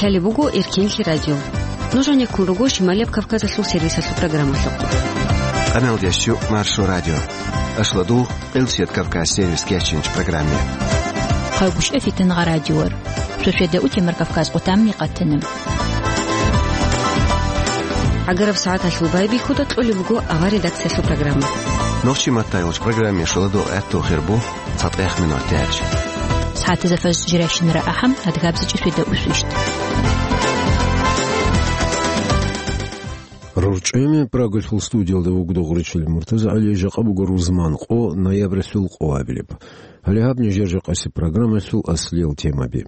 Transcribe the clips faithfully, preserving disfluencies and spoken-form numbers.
Гьале буго Эркенлъи радио. Нуж гьанеккун руго Шималияб Кавказалъул сервисалъул программалъухъ. Къаналдеш чу Маршо радио. Ашладул Къилсият Кавказ сервис кечинч программе. Хъайгъушев Фитангъа радиор. Шошведа утемар Кавказ къутамни къатана. ГӀагараб сагӀаталъул байбихьуда кьолеб буго авар редакциялъул программа. Нохчи маттайолч программе шоладо гӀатту хирбу. Цадгъех минут тяч. СагӀатазда фаз жирайщинара ахӀам, адгабзичӀи феда усвищт. РорчӀеме Прагалъул студиялда вугода гъуричил Муртаза ГӀали, жакъа буго рузман къо, ноябрьалъул къоабилеб. Гьале гьаб нижер жакъасеб программалъул аслиял темаби.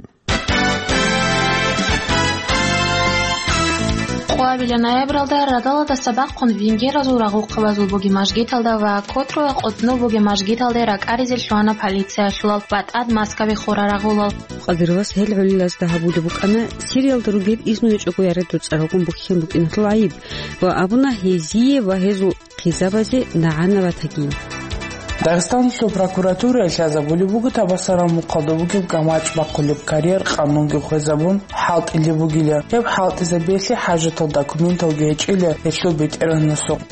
Къоабилеб ноябралда радалалдаса бахъун венгеразул рагъухъабазул бугеб мажгиталда ва Котруе къотӀнов бугеб мажгиталде ракӀаризе лъугьана полициялъулал ва тӀад маскаби хурал рагъулал. Къадировас гьел гӀолилазда гьабулеб букӀана Сириялда ругел изну гьечӀого яре доцӀаралгун бухьен букӀиналъул гӀайиб ва абуна гьезие ва гьезул хъизабазе нагӀана ратаги. Дагъистаналъул прокуратурае лъазабулеб буго Табасарал мухъалда бугеб гамачӀ бахъулеб карьер къанунги хвезабун хӀалтӀулеб бугила. Гьеб хӀалтӀизабиялъе хӀажатал документалги гьечӀила гьелъул бетӀергьанасухъ.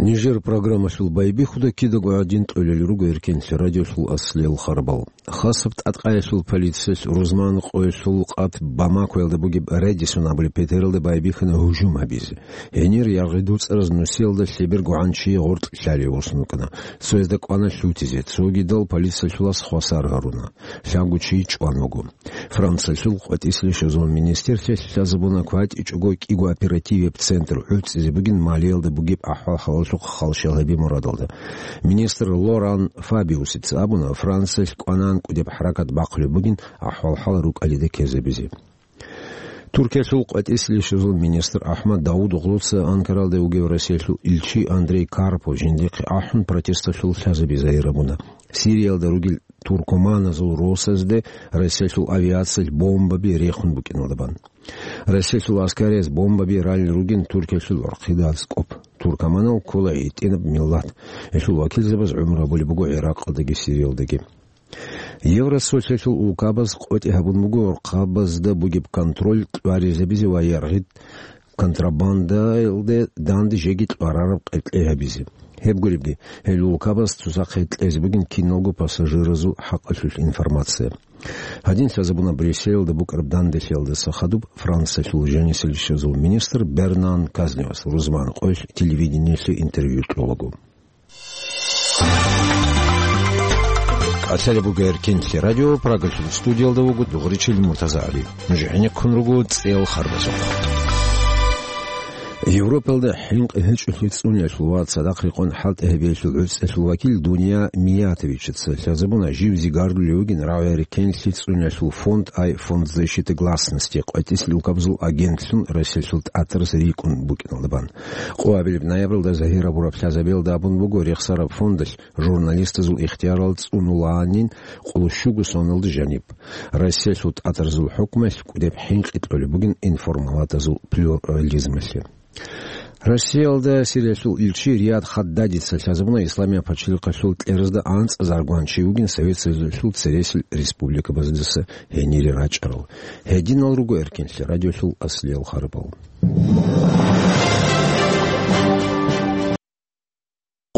Нижер программалъул байбихьуда кидаго гӀадин тӀолел руго Эркенлъи радиолъул аслиял харбал. Хасаб тӀадкъаялъул полициялъ рузман къоялъул къат Бамакоялда бугеб Редисон абулеб петералда байбихьана гьужум гьабизе. Гьенир яргъи доцӀараз нусиялда лъеберго гӀанчи гъоркь лъалев восун вукӀана. Цоязда кӀвана лъутизе, цогидал полициялъулас хвасар гьаруна. Лъабго чи чӀван вуго. Франциялъул къватӀислъи щвезабун министрлъи лъазабуна кватӀичӀого кӀиго оперативеб центр гӀуцӀизе бугин малиялда бугеб ахӀвал-хӀалалъухъ халщал гьаби мурадалда. Министр Лоран Фабиусица абуна, Франциялъ кӀванан кӀудеб хӀаракат бахъулеб бугин ахӀвал-хӀал рукӀалида ккезабизе. Туркиялъул къватӀислъи щвезабун министр АхӀмад Давудоглуца Анкаралда вугев Россиялъул илчи Андрей Карпов жиндихъе ахӀун протесталъул лъазаби загьир гьабуна. Сириялда ругел туркуманазул росазде Россиялъул авиациялъ бомбаби рехун букӀиналда бан. Россиялъул аскарияз бомбаби ралел ругин Туркиялъул гӀурхъида аскӀоб. Туркуманал ккола гӀитӀинаб миллат. Гьелъул вакилзабаз гӀумру гьабулеб буго ГӀиракъалдаги Сириялдаги. Евросоюзалъул улкабаз къотӀи гьабун буго гӀурхъабазда бугеб контроль кьваризабизе ва яргъи контрабандаялде данде жеги кьварараб къеркьей гьабизе. Гьеб гуребги, гьел улкабаз цоцахъе кьезе бугин киналго пассажиразул хӀакъалъулъ информация. Гьадин лъазабуна Брюсселалда букӀараб данделъиялдаса хадуб Франциялъул жанисел щвезул министр Бернан Казневас рузман къоялъ телевидениелъе интервью кьолаго. Калъалеб буго Эркенлъи радио, Прагалъул студиялда вуго дугъричил Муртаза ГӀали. Нуж гӀенеккун руго цӀел харбазухъ. Европалда хӀинкъи гьечӀолъи цӀуниялъул ва цадахъ рекъон хӀалтӀи гьабиялъул гӀуцӀиялъул вакил Дуния Миятовичица лъазабуна жив зигарлъулев вугин рагӀи Эркенлъи цӀуниялъул фонд, ай Фонд защиты гласности, къватӀислъи улкабазул агентлъун Россиялъул тӀатарас рикӀкӀун букӀиналда бан. Къоабилеб ноябралда загьир гьабураб лъазабиялда абун буго, рехсараб фондалъ журналистазул ихтиярал цӀунуланин къоло щуго соналда жаниб. Россиялъул тӀатарзул хӀукмалъ кӀудеб хӀинкъи кьолеб бугин информалатазул плюрализмалъе. Россиялда Сириялъул илчи Риад Хаддадица лъазабуна Исламияб пачалихъалъул кьеразда анцӀазаргван чи вугин Совет Союзалъул цересел республикабаздаса гьенире рачӀарал. Гьединал руго Эркенлъи радиолъул аслиял харбал.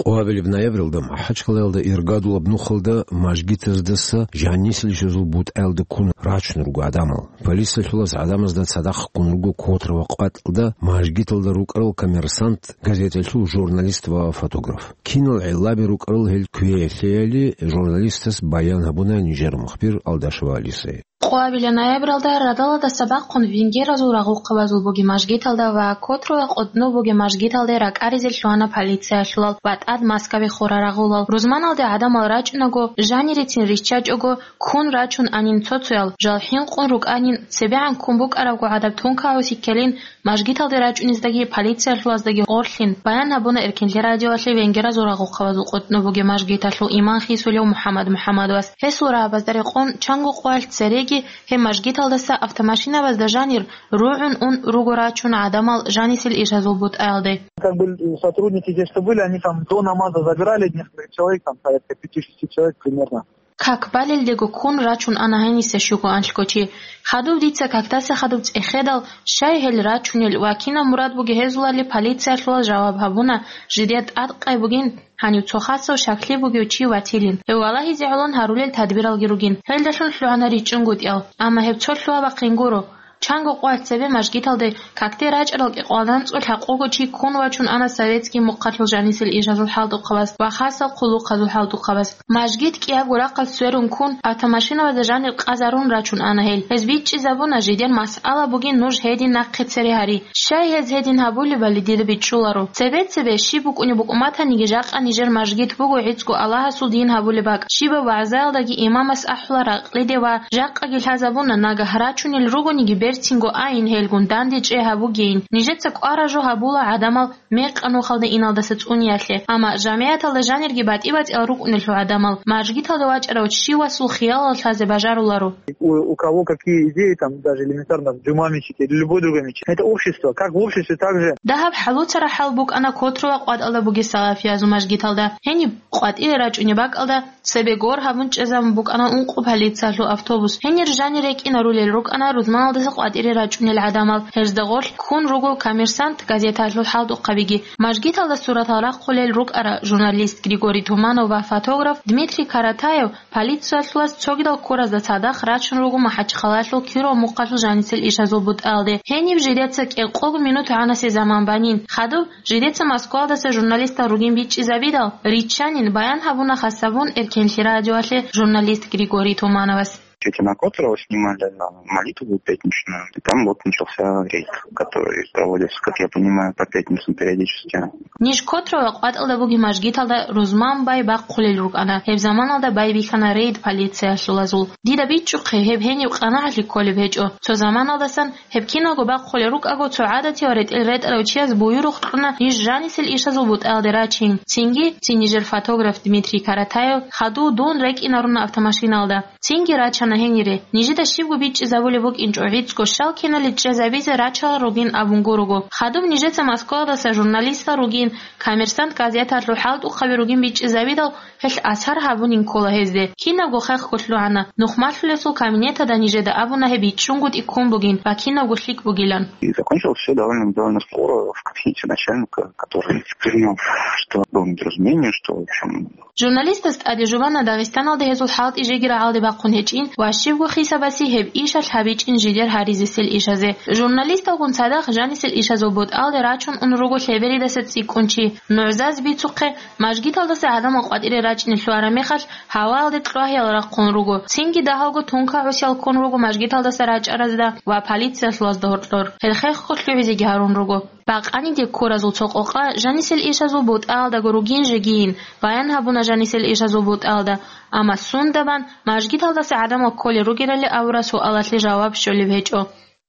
Къоабилеб ноябралда МахӀачкъалаялда иргадулаб нухалда мажгитаздаса жанисел щвезул бутӀаялда ккун рачун руго гӀадамал. Полициялъулас гӀадамазда цадахъ ккун руго Котра ва къватӀалда мажгиталда рукӀарал «Коммерсант» газеталъул журналист ва фотограф. Кинал гӀиллаби рукӀарал гьел квеялъеяли журналистас баян гьабуна нижер мухбир Алдашева Алисае. Къоабилеб ноябралда радалалдаса бахъун венгеразул рагъухъабазул бугеб мажгиталда ва Котруе къотӀнов бугеб мажгиталде ракӀаризе лъугьана полициялъулал ва тӀад маскаби хурал рагъулал. Рузманалде гӀадамал рачӀунаго, жанирецин риччачӀого, ккун рачун анин цо-цоял, жал хӀинкъун рукӀанин, цебегӀан ккун букӀарабго гӀадаб тункагӀуси ккелин, мажгиталде рачӀунездаги полициялъулаздаги гъорлъин, баян гьабуна Эркенлъи радиоялъе венгеразул рагъухъабазул къотӀнов бугеб мажгиталъул имам хисулев МухӀаммад МухӀаммадовас. Гьесул рагӀабазда рекъон чанго къоялъ цереги гьеб мажгиталдаса автомашинабазда жанир ругӀун ун руго рачун гӀадамал жанисел ишазул бутӀаялде. Как бы сотрудники те, что были, они там до намаза забирали несколько человек, там порядка пяти-шести человек примерно. Как балелдего ккун рачун ана гьениса щуго анлъго чи. Хадуб дица какдаса хадуб цӀехедал, щай гьел рачунел ва кинаб мурад бугеб гьезулали полициялъулал жаваб гьабуна, жидер тӀадкъай бугин, гьанив цо хасав щаклъи бугев чи ватилин. Гьев валагьизе гӀолон гьарулел тадбиралги ругин. Гьелдалъун лъугьана ричӀчӀунгутӀиял. Амма гьеб цо лъугьа-бахъинго гуро. Чанго къоялъ цебе мажгиталде какде рачӀарал кӀикъоялда анцӀго лъабкъого чи ккун вачун ана советский мухъалъул жанисел ишазул хӀалтӀухъабаз ва хасал хъулухъазул хӀалтӀухъабаз. Мажгит кӀиябго рахъалъ сверун ккун, автомашинабазда жанир къазарун рачун ана гьел. Гьез бичӀчӀизабуна, жидер масъала бугин нуж гьедин нахъе цере гьари. Щай гьез гьедин гьабулебали дида бичӀчӀуларо. Цебе-цебе щиб букӀунеб букӀун батаниги, жакъа нижер мажгит буго гӀицӀго Аллагьасул дин гьабулеб бакӀ. Щибаб вагӀзаялдаги имамас ахӀула ракълиде ва жакъаги лъазабуна, нагагь рачунел ругониги берцинго айин гьелгун данде чӀей гьабугейин. Нижеца кӀвара жо гьабула гӀадамал мекъа нухалда иналдаса цӀуниялъе. Амма жамигӀаталда жанирги батӀи-батӀиял рукӀунелъул гӀадамал мажгиталде вачӀарав чи васул хиялал лъазе бажаруларо. У, у кого какие идеи, там, даже элементарно в джума мечети или любой другой мечети. Это общество, как в обществе, так же. Дагьаб хӀалуцарахӀал букӀана Котрово къватӀалда бугеб салафиязул мажгиталда. Гьениб къватӀире рачӀунеб бакӀалда цебе гор гьабун чӀезабун букӀана ункъо полициялъул автобус. Гьенир жанир рекӀинарулел рукӀана рузманалдаса къватӀире рачӀунел гӀадамал. Гьезда гъорлъ ккун руго «Коммерсант» газеталъул хӀалтӀухъабиги. Мажгиталда суратал рахъулел рукӀара журналист Григорий Туманов ва фотограф Дмитрий Каратаев. Полициялъулас цогидал ккуразда цадахъ рачун руго МахӀачхъалаялъул Киров мухъалъул жанисел ишазул бутӀалде. Гьениб жидеца кӀикъого минут гӀанасе заман банин. Хадуб жидеца Москвалдаса журналистал ругин бичӀчӀизабидал, риччанин, баян гьабуна хасабун Эркенлъи радиоялъе журналист Григорий Тумановас. Эти на Котрова снимали, а, молитву пятничную. И там вот начался рейд, который проводится, как я понимаю, по пятницам периодически. Ниж Котрова къватӀалда бугеб мажгиталда рузман бай бахъулел рукӀана. Гьеб заманалда бай бихьана рейд полициялъулазул. Дида бичӀчӀухъе, гьеб гьениб къанагӀалъи кколеб гьечӀо. Цо заманалдасан гьеб киналго бахъулел рукӀаго, цо гӀадатияв ретӀел ретӀарав чияс буюрухъ кьуна ниж жанисел ишазул бутӀалде рачин. Цинги, цин нижер фотограф Дмитрий Каратаев, хадув дун рекӀинаруна автомашиналда. Цинги рачана гьенире. Нижеда щибго бичӀчӀизабулеб букӀинчӀо, гӀицӀго щал киналде чӀезабизе рачарал ругин абун гурого. Хадуб нижеца Москвадаса журналистал ругин, «Коммерсант» газеталъул хӀалтӀухъаби ругин бичӀчӀизабидал, гьелъ асар гьабунин ккола гьезде. Кинабго хехго лъугӀана. Нухмалъулесул кабинеталда нижеда абуна гьеб бичӀчӀунгутӀи ккун бугин ва кинабго лъикӀ бугилан. И закончилось всё довольно, довольно скоро. В кабинете начальника, который принял, что было недоразумение, что, в общем, Журналистас тӀаде жубана Дагъистаналда гьезул хӀалтӀи жеги рагӀалде бахъун гьечӀин ва щибго хисабасе гьеб ишалъ гьабичӀин жидер гьаризесел ишазе. Журналисталгун цадахъ жанисел ишазул бутӀалде рачун ун руго лъеберидаса цӀикӀкӀун чи. НугӀзаз бицухъе, мажгиталдаса гӀадамал къватӀире рачӀине лъугьараб мехалъ, гьаваялде кьвагьиял рахъун руго. Цинги дагьалго тункагӀусиял ккун руго мажгиталдаса рачӀаразда ва полициялъулазда гьоркьор. Гьел хехго лъугӀизеги гьарун руго. Бакъаниде ккуразул цо къокъа жанисел ишазул бутӀаялдаго ругин жегийин, баян гьабуна жанисел ишазул бутӀаялда, амма сундабан мажгиталдаса гӀадамал кколел ругелали абураб суалалъе жаваб щолеб гьечӀо.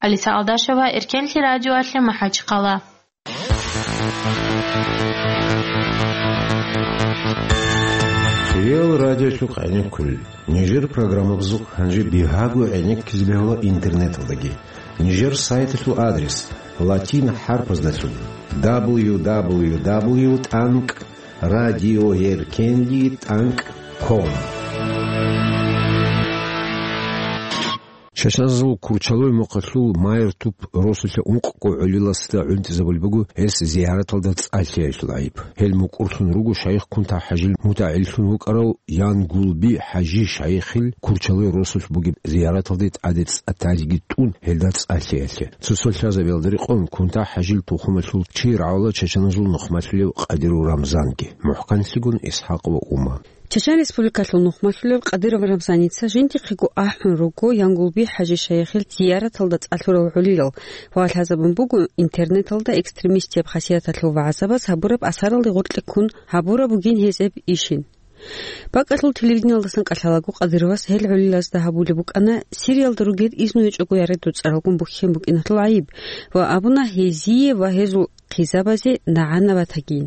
Алиса Алдашева, Эркенлъи радиоялъе, МахӀачхъала. Реал радиолъухъ гӀенеккулел. Нижер программабазухъ гьанже бигьаго гӀенеккизе бегьула интернеталдаги. Нижер сайталъул адрес латин хӀарпаздалъун: дабл ю дабл ю дабл ю тӀанкӀ радиоэркенли тӀанкӀ ком. Чачаназул Курчалой мухъалъул Майртуп росулъа ункъго гӀолиласда гӀунтӀизабулеб буго гьес зияраталда цӀа лъиялъул гӀайиб. Гьел мукӀурлъун руго шайх Кунта-ХӀажил мутагӀиллъун вукӀарав Янгулби ХӀажи шайихил Курчалой росулъ бугеб зияраталде тӀаде цӀа талги тӀун гьелда цӀа лъиялъе. Цо-цо лъазабиялда рекъон Кунта-ХӀажил тухумалъул чи рагӀула чачаназул нухмалъулев Къадиров Рамзанги, мухӀканлъигун ИсхӀакъ ва Ума. Чачан Республикалъул нухмалъулев Къадиров Рамзаница жиндихъего ахӀун руго Янгулби ХӀажи шайихил зияраталда цӀа лъурал гӀолилал ва лъазабун буго интернеталда экстремистияб хасияталъул вагӀзабаз гьабураб асаралде гъоркье ккун гьабураб бугин гьезеб ишин. БакӀалъул телевидениялдасан кӀалъалаго Къадировас гьел гӀолилазда гьабулеб букӀана Сириялда ругел изну гьечӀого яре доцӀаралгун бухьен букӀиналъул гӀайиб ва абуна гьезие ва гьезул хъизабазе нагӀана батагин.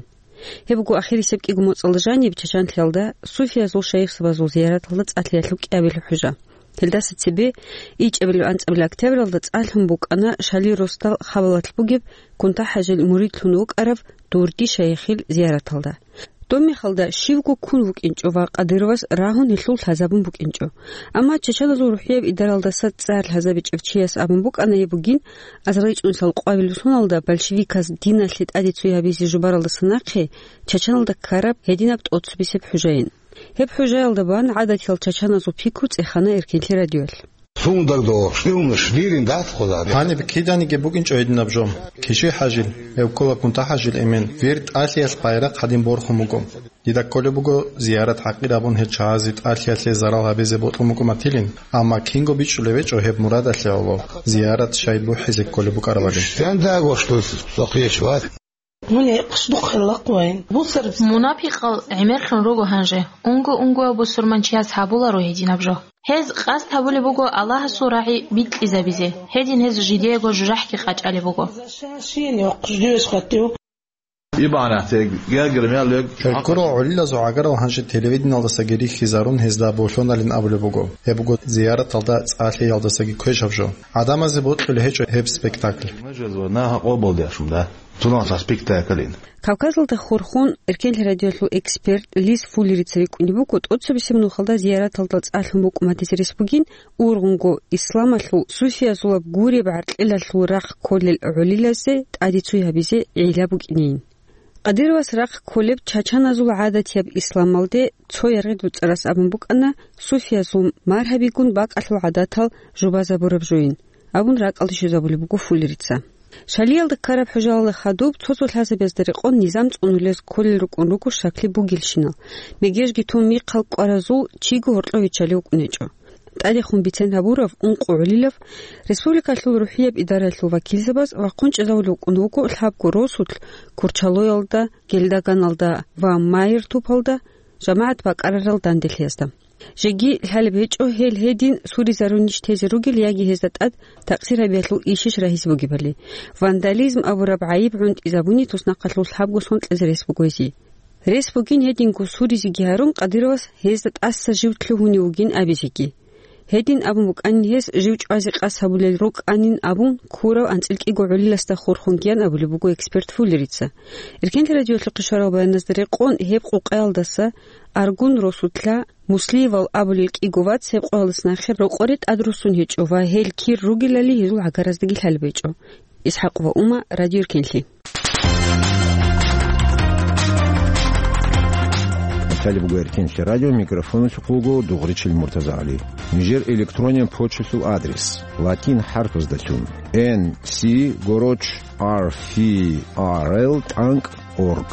Гьеб буго ахирисеб кӀиго моцӀалда жаниб Чачанлъиялда суфиязул шайихзабазул зияраталда цӀа лъиялъул кӀиабилеб хӀужа. Гьелдаса цебе ичӀабилеб-анцӀабилеб октябралда цӀа лъун букӀана Шали росдал Хабалалъ бугеб Кунта-ХӀажил муридлъун вукӀарав Дурги шайихил зияраталда. Доб мехалда щивго ккун вукӀинчӀо ва Кадыровас рагьун гьелъул лъазабун букӀинчӀо. Амма чачаназул рухӀияб идаралдаса цӀар лъазабичӀев чияс абун букӀана гьеб бугин, азарилчӀунсал къвабилеб соналда большевиказ диналъе тӀаде цой гьабизе жубаралдаса нахъе чачаналда ккараб гьединаб тӀоцебесеб хӀужаин. Гьеб хӀужаялда бан гӀадатиял чачаназул пикру цӀехана Эркенлъи радиоялъ. Сундаг до, штилнаш, дирин дат хъула. Гьаниб киданиги букӀинчӀо гьединаб жо. Киши хӀажил, гьев ккола КӀунтӀа-хӀажил эмен, вир тӀалъиялъ байрахъ гьадин борхун буго. Дида кколеб буго зиярат гьакъир абун гьел чагӀазе тӀалъиялъе зарал гьабизе бокьун букӀун батилин, амма кинго бичӀчӀулеб гьечӀо гьеб мурадалъе гӀоло, зиярат щай бухӀизе кколеб букӀарабали. Сен дагош дус сохъеш ват? Мун гьекъуш духъе лакъвайн. Бусар. Мунапикъал гӀемерлъун руго гьанже. Унго-унгояв бусурманчияс гьабуларо гьединаб жо. Гьез къасд гьабулеб буго Аллагьасул рагӀи бикьизабизе. Гьедин гьез жидеего жужахӀги къачӀалеб буго. Ибанатег, гергер мел лег. Гьел ккурал гӀолилазул гӀагарал гьанже телевидениялдасаги рихьизарун гьезда болъоналин абулеб буго. Гьеб буго зияраталда цӀалъиялдасаги квешаб жо. ГӀадамазе бокьулеб гьечӀо гьеб спектакль. Мажазва, на гьакъо болдяшум, да? Цунал спектаклин. Кавказалда хурхун, Эркенлъи радиолъул эксперт Лис Фуллерица рикӀкӀунеб буго, тӀоцебесеб нухалда зияраталда цӀалъун букӀун батизе рес бугин, ургъунго исламалъул суфиязулаб гуреб гӀаркьилалъул рахъ кколел гӀолилазе тӀаде цой гьабизе гӀила букӀинейин. Кадыровас рахъ кколеб чачаназул гӀадатияб исламалде цо яргъи дуцӀарас абун букӀана, суфиязул маргьабигун бакӀалъул гӀадатал жубазабураб жойин, абун ракӀалде щвезабулеб буго Фуллерица. Шалиялда ккараб хӀужаялда хадуб цо-цо лъазабазда рекъон низам цӀунулез кколел рукӀун руго щаклъи бугелщинал, мегежги тун михъал кӀваразул чиго гьоркьов виччалев вукӀун гьечӀо. ТӀадехун бицен гьабурав ункъо гӀолилав, республикалъул рухӀияб идараялъул вакилзабаз вахъун чӀезавулев вукӀун вуго лъабго росулъ Курчалоялда, Гелдаганалда ва Майртупалда жамагӀат бакӀарарал данделъиязда. Жеги лъалеб гьечӀо гьел гьедин суризарунищ тезе ругел яги гьезда тӀад такъсир гьабиялъул ишищ рагьизе бугебали. Вандализм абураб гӀайиб гӀунтӀизабуни туснахъалъур лъабго сон кьезе рес буго гьезие. Рес бугин гьединго суризеги гьарун, Кадыровас гьезда тӀаса жив лъугьунев вугин абизеги. Гьедин абун букӀанин гьес, жив чӀвазе къасд гьабулел рукӀанин абун, ккурав анцӀил кӀиго гӀолиласда хурхунгиян абулеб буго эксперт Фуллерица. Эркенлъи радиолъухъе щварал баяназда рекъон, гьеб къукъаялдаса Аргун росулъа Муслиевал абулел кӀиго вац гьеб къоялдаса нахъе рокъоре тӀадруссун гьечӀо ва гьел кир ругелали гьезул гӀагараздаги лъалеб гьечӀо. Исхакъ ва Ума, Радио Эркенлъи. Талиб Гуэркенлъи радио, микрофоналъухъ вуго Дугъричил МуртазагӀали. Нижер электронен почталъул адрес: латин хӀарпаздалъун, N C гороч R F R L тӀанкӀ org.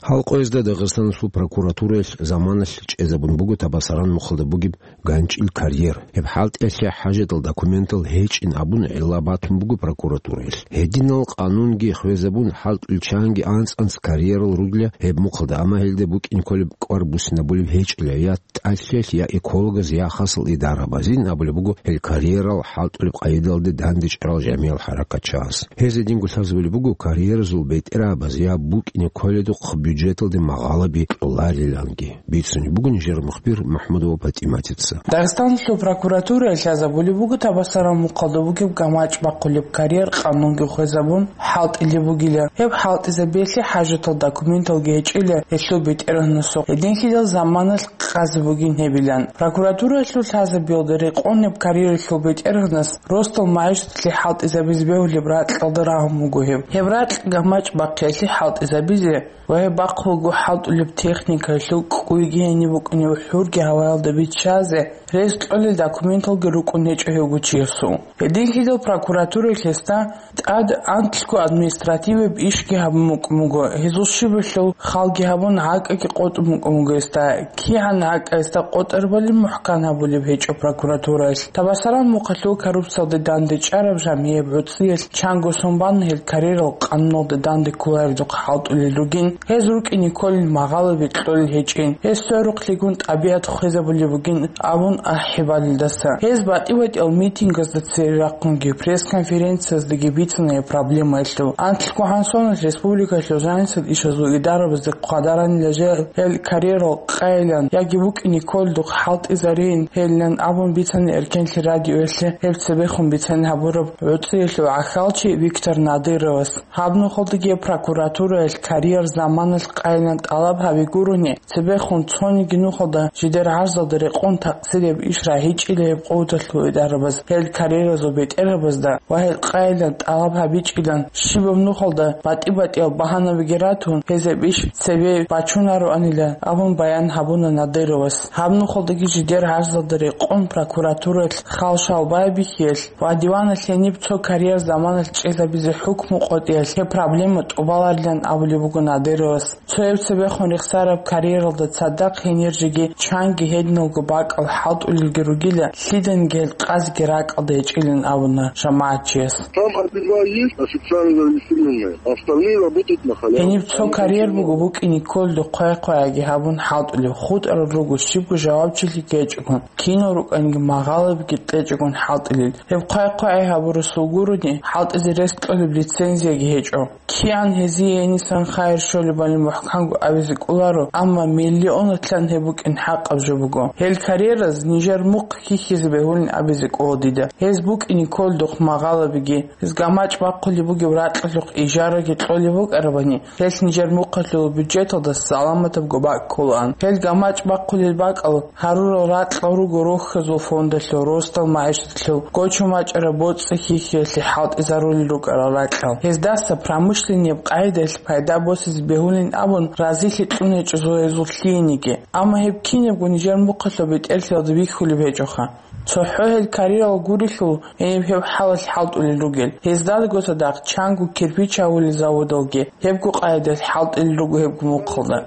Гьал къоязда Дагъистаналъул прокуратураялъ заманалъ чӀезабун буго Табасаран мухъалда бугеб ганчӀил карьер. Гьеб хӀалтӀиялъе хӀажатал документал гьечӀин абун гӀилла батун буго прокуратураялъ. Гьединал къанунги хвезабун, хӀалтӀулел чанги анцӀ-анцӀ карьерал ругила гьеб мухъалда, амма гьелда букӀин кколеб кӀвар буссинабулеб гьечӀила я тӀалъиялъ, я экологаз, я хасал идарабазин абулеб буго гьел карьерал хӀалтӀулеб къайдалде дандечӀарал жамигӀал хӀаракатчияс. Гьез гьединго лъазабулеб буго карьеразул бетӀерабаз я букӀине кколедухъ бюджеталде магъалаби кьолариланги. Бицунеб буго нижер мухбир МахӀмудова ПатӀиматица. Дагъистаналъул прокуратураялъ лъазабулеб буго Табасаран мухъалда бугеб гамачӀ бахъулеб карьер къанунги хвезабун хӀалтӀилеб бугилан. Гьеб хӀалтӀизабиялъе хӀажатал документалги гьечӀила гьелъул бетӀергьанасухъ. Гьединлъидал заманалъ къазе бугин гьебилан. Прокуратураялъул лъазабиялда рекъон гьеб карьералъул бетӀергьанас росдал магӀишаталъе хӀалтӀизабизе бегьулеб ракьалда рагьун буго гьеб. Гьеб ракь гамачӀ бахъиялъе хӀалтӀизабизе ва гьеб бахъулго хӀалтӀулеб техникаялъул кӀкӀуйги гьениб букӀунеб хӀурги гьаваялда биччазе рес кьолел документалги рукӀун гьечӀо гьевго чиясул. Гьединлъидал прокуратураялъ гьесда тӀад анкьго административияб ишги гьабун букӀун буго, гьезул щибалъул халги гьабун, гӀакӀаги къотӀун букӀун буго гьесда. КигӀан гӀакӀа гьесда къотӀарабали мухӀкан гьабулеб гьечӀо прокуратураялъ. Табасаран мухъалъул коррупциялде дандечӀараб жамигӀяб гӀуцӀиялъ чанго сон бан гьел карьерал къануналда данде кколареб хӀалтӀулел ругин. Гьез рукӀине кколел магъалаби кьолел гьечӀин, гьес сверухълъигун тӀабигӀат хвезабулеб бугин абун ахӀи балелдаса. Гьез батӀи-батӀиял митингазда цере рахъунги, пресс-конференцияздаги бицана гьеб проблемаялъул. Анлъго гьансоналъ республикалъул жанисел ишазул идарабазда хъвадаранила жал гьел карьерал къайилан яги букӀине кколдухъ хӀалтӀизарейин гьелилан абун бицана Эркенлъи радиоялъе гьеб цебехун бицен гьабураб гӀуцӀиялъул гӀахьалчи Виктор Надыровас. Гьаб нухалдаги прокуратураялъ карьер заманалъ къайилан тӀалаб гьаби гурони, цебехун цониги нухалда жидер гӀарзалда рекъон такъсирияб иш рагьичӀила гьеб къуваталъул идарабаз гьел карьеразул бетӀерабазда ва гьел къайилан тӀалаб гьабичӀилан, щибаб нухалда батӀи-батӀиял багьанабиги ратун, гьезаб иш цебе бачунароанила абун баян гьабуна Надыровас. Гьаб нухалдаги жидер гӀарзалда рекъон прокуратураялъ хал-шал байбихьиялъ ва диваналъ гьениб цо карьер заманалъ чӀезабизе хӀукму къотӀиялъ гьеб проблема тӀубаларилан абулеб буго Надыровас. Цояб цебехун рехсараб карьералда цадахъ гьенир жеги чанги гьединалго бакӀал хӀалтӀулелги ругила, лъиданги гьел къазги ракӀалда гьечӀилан абуна жамагӀатчияс. Там один-два есть официально зарегистрированные, остальные работают на халяву. Гьениб цо карьер буго букӀине кколдухъ хъвай-хъвайги гьабун хӀалтӀулеб, хутӀарал руго щибго жавабчилъи гьечӀогун, кинал рукӀанги магъалабиги кьечӀогун хӀалтӀилел. Гьеб хъвай-хъвай гьабурасул гурони, хӀалтӀизе рес кьолеб лицензияги гьечӀо. КигӀан гьезие гьенисан хайир щолебали мухӀканго абизе кӀоларо, амма миллионатлъан гьеб букӀин хӀакъаб жо буго. Гьел карьераз нижер мухъ хьихьизе бегьулин абизе кӀола дида. Гьез букӀине кколдухъ магъалабиги, гьез гамачӀ бахъулеб бугеб ракьалъухъ ижараги кьолеб букӀарабани, гьелъ нижер мухъалъул бюджеталда саламатабго бакӀ кколаан. Гьел гамачӀ бахъулел бакӀал гьарурал ракьал руго рохьазул фондалъул, росдал магӀишаталъул, гочо-мачӀараб боцӀи-хьихьиялъе хӀалтӀизарулел рукӀарал ракьал. Гьездаса промышленнияб къагӀидаялъ пайда босизе бегьулин абун разилъи кьун гьечӀо зоязул лъиениги. Амма гьеб кинабго нижер мухъалъул бетӀерлъиялда бихьулеб гьечӀоха. ЦохӀо гьел карьерал гурелъул гьениб гьеб хӀалалъ хӀалтӀулел ругел. Гьездаго цадахъ чанго кирпич гьавулел заводалги гьебго къайдаялъ хӀалтӀулел руго гьебго мухъалда.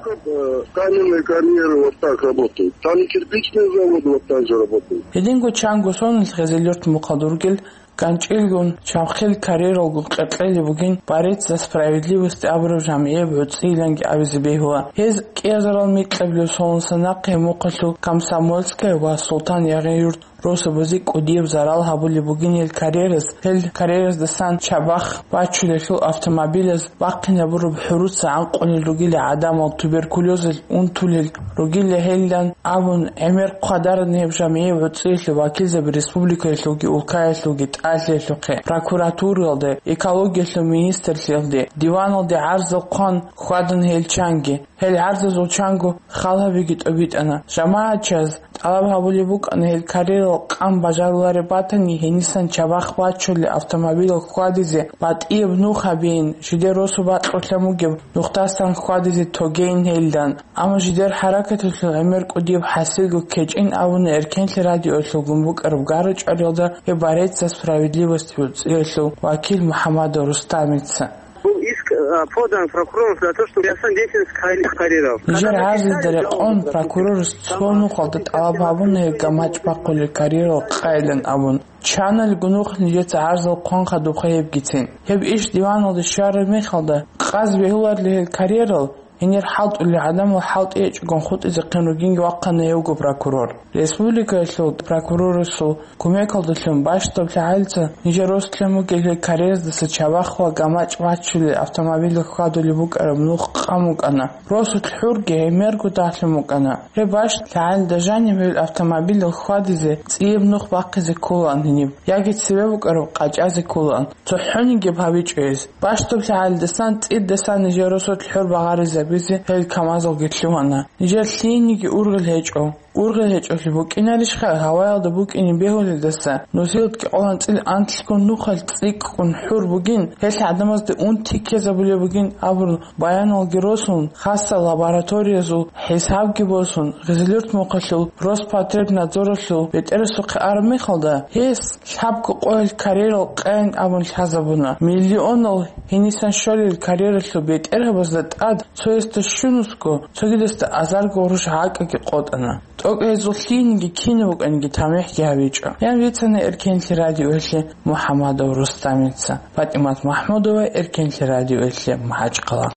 Каменные карьеры вот так работают. Там и кирпичные заводы вот так же работают. Гьединго чанго соналъ Гъезелюрт мухъалда ругел ганчӀилгун чабхил карьералгун къекълъулеб бугин «Борец за справедливость» абураб жамгӀияб гӀуцӀиялъги абизе бегьула. Гьез кӀиазарал микьабилеб соналдаса нахъе мухъалъул Комсомольская ва Султан-Ягъин-Юрт росабазе кӀудияб зарал гьабулеб бугин гьел карьераз, гьел карьераздасан чабахъ бачулелъул автомобилаз бахъинабураб хӀуруца гӀанкъулел ругила гӀадамал, туберкулезалъ унтулел ругила гьелилан абун, гӀемер хъвадарани гьеб жамгӀияб гӀуцӀиялъул вакилзаби республикаялъулги улкаялъулги тӀалъиялъухъе, прокуратуралде, экологиялъул министрлъиялде, диваналде гӀарзал хъван хьвадана гьел чанги. Гьел гӀарзазул чанго хал гьабиги тӀобитӀана. ЖамагӀатчияз тӀалаб гьабулеб букӀана гьел карьерал къан бажарулареб батани, гьенисан чабахъ бачулел автомобилал хьвадизе батӀияб нух гьабейин, жидер росу бакьулъан бугеб нухдасан хьвадизе тогейин гьелилан. Амма жидер хӀаракаталъул гӀемер кӀудияб хӀасилго ккечӀин абуна Эркенлъи радиоялъулгун букӀараб гара-чӀвариялда гьеб «Борец за справедливость» гӀуцӀиялъул вакил МухӀамадов Рустамица. Был иск, а, подан прокурором для того, чтобы я сам деятельность карьеров. Нижер гӀарзазда рекъон прокурорас цо нухалда тӀалаб гьабуна гьеб гамачӀ бахъулел карьерал къайилан абун. Чанал гунухъ нижеца гӀарзал хъван хадубха гьебгицин. Гьеб иш диваналде щвараб мехалда, къаз бегьуларли гьел карьерал, гьенир хӀалтӀулел гӀадамал хӀалтӀи гьечӀогун хутӀизехъин ругинги вахъана гьевго прокурор. Республикаялъул прокурорасул кумекалдалъун бащдаб лъагӀалица нижер росулъан бугел гьел карьераздаса чабахъ ва гамачӀ бачулел автомобиль хьвадулеб букӀараб нух къан букӀана. Росулъ хӀурги гӀемерго дагьлъун букӀана. Гьеб бащдаб лъагӀалида жаниб гьел автомобиль хьвадизе цӀияб нух бахъизе кколаан гьениб, яги цебе букӀараб къачӀазе кколаан. ЦохӀонигиб гьабичӀо гьез. Бащдаб лъагӀалидасан цӀидасан нижер росулъ хӀур багъаризабизе гьел КамАЗалги лъугьана. Нижер лъиениги ургъел гьечӀо. Ургъел гьечӀолъи букӀинарищха гьаваялда букӀине бегьулелдаса? Нусилат кӀикъоялда анцӀила анлъго нухалъ цӀикӀкӀун хӀур бугин, гьелъ гӀадамазда унти ккезабулеб бугин абун баяналги росун, хасса лабораториязул хӀисабги босун, Гъизилюрт мухъалъул Роспотребнадзоралъул бетӀерасухъе араб мехалда, гьес лъабго къоялъ карьерал къайин абун лъазабуна. Миллионал гьенисан щолел карьералъул бетӀергьабазда тӀад цоясда щунусго, цогидасда азарго гъурущ гӀакӀаги къотӀана. ТӀокӀ гьезул лъиениги кинаб букӀаниги тамихӀги гьабичӀо, ян бицана Эркенлъи радиоялъе МухӀамадов Рустамица. ПатӀимат МахӀмудова, Эркенлъи радиоялъе, МахӀачхъала.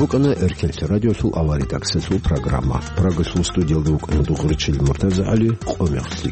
БукӀана Эркенлъи радиосул аваридаксалъул программа. Прагалъул студиялда вукӀана дугъричил МуртазагӀали, къо мехлъи.